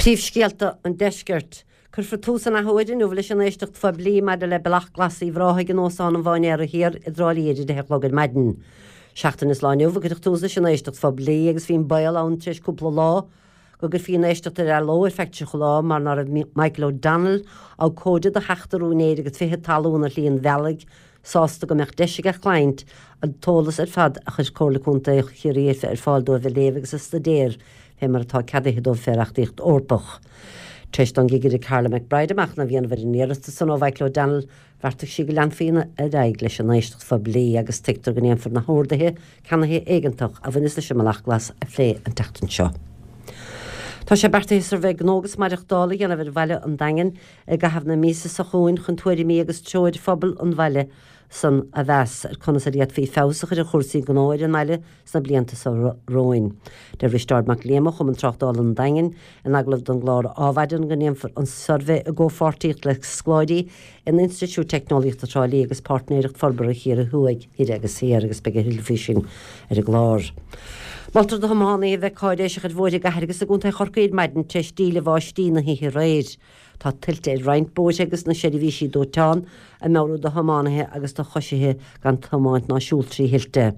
Príomhscéalta an Deiscirt. Cuirfear tús an athuair inniu leis an éisteacht phoiblí maidir le Bealach Glas Uíbh Ráthaigh in Óstán an Mháinséara Thiar i dTrá Lí ar a 10 a chlog ar maidin. Seachtain is lá inniu a cuireadh tús leis an éisteacht phoiblí agus bhí an baol ann tar éis cúpla lá go gcuirfí an éisteacht ar athló ar feadh 30 lá mar ná raibh Michael O'Donnell, abhcóide do sheachtar úinéir agus fichead talún ar Shlí an Bhealaigh, sásta go mbeadh deis ag a chliaint an t-eolas ar fad a chuir Comhairle Contae Chiarraí ar fáil dóibh a léamh agus a staidéar fé mar atá ceadaithe dóibh fé reachtaíocht Eorpach. Tar éis don gCigire Carla McBride machnamh a dhéanamh ar an iarratas san ó Mhichael O'Donnell, bheartaigh sí go leanfaí ar aghaidh leis an éisteacht phoiblí agus tuigtear go ndéanfar na horduithe ceannaithe éigeantach a bhaineas leis an mBealach Glas a phlé an tseachtain seo. Tá sé beartaithe suirbhé gnó agus maireachtála a dhéanamh ar bhaile an Daingin i gcaitheamh na míosa seo chugainn chun tuairimí agus treoir phobal an bhaile san a mheas ar conas ar fhéadfaí feabhas a chur ar chúrsaí gnó ar an mbaile sna blianta seo romhainn. Deir Risteárd Mac Liam ó Chumann Tráchtála an Daingin in agallamh don gclár Ádhmhaidin go ndéanfar an suirbhé i gcomhpháirtíocht le scoláirí in Institiúid Teicneolaíochta Thrá Lí agus Páirtnéireacht Forbartha Chiarraí Thuaidh, Thoir agus Thiar agus beidh a thuilleadh faoi sin ar an gclár. Moltar do thiománaithe a bheith cáiréiseach ar bhóithre i gcathair agus i gcontae Chorcaí ar maidin tar éis díle bháistí na hoíche aréir. Tá tuilte ar roinnt bóithre agus na seirbhísí dóiteáin ag meabhrú do thiománaithe agus do choisithe gan tiomáint ná siúl trí thuilte.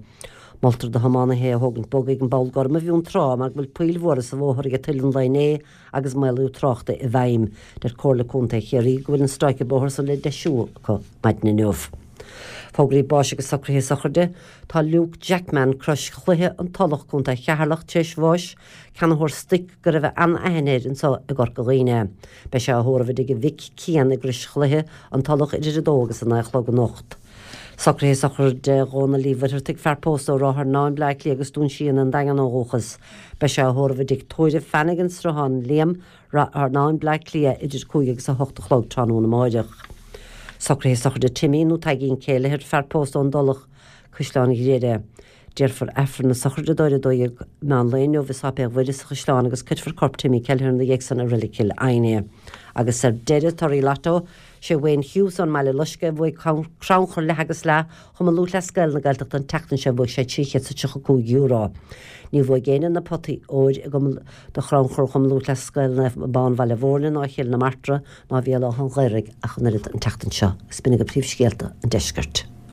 Moltar do thiománaithe é a thógaint bog ag an bPoll Gorm i bhFionntrá mar go bhfuil poill mhóra sa bhóthar ag tuile an lae inné agus maolú tráchta i bhfeidhm. Deir Comhairle Contae Chiarraí go bhfuil an stráice bóthair san le deisiú acu maidin inniu. Fógraí báis agus socruithe sochraide. Tá Luke Jackman, Crois Chloiche, An Tulach, Co. Cheatharlach, tar éis bháis, ceannaitheoir stoic go raibh an-aithne air anseo i gCorca Dhuibhne. Beidh sé á thórramh i dtigh a mhic, Cian, i gCrois Chloiche, An Tulach, idir 2 agus 9 a chlog anocht. Socruithe sochraide Dhónaill Uí Mhuircheartaigh, fear pósta ó Ráth Fearnáin, Bleá Cliath agus Dún Síon, An Daingean ó dhúchas. Beidh sé á thórramh i dtigh tórraimh Flanagan, Sruthán Liam, Ráth Fearnáin, Bleá Cliath, idir 5 agus 8 a chlog tráthnóna amáireach. Socruithe sochraide Timmy nó Taidhgín Kelleher, fear pósta ón dTulach, Caisleán Ghriaire. Déarfar Aifreann na sochraide dó ar 12 meán lae inniu i Sáipéal Mhuire sa Chaisleán agus cuirfear corp Timmy Kelleher ina dhiaidh san i Reilig Chill Airne. Agus ar deireadh, torthaí Lotto, sé Wayne Hughes ón mBaile Loiscthe a bhuaigh crannchur leath agus leath Chumann Lúthchleas Gael na Gaeltachta an tseachtain seo bhuaigh sé €335. Níor bhuaigh éinne na potaí óir i gCumann do chrannchur Chumann Lúthchleas Gael Naomh Abán Bhaile Mhúirne ná Chill na Martra ná Bhéal Átha an Ghaorthaidh ach an oiread an tseachtain seo. Agus b'in agaibh príomhscéalta an deiscirt.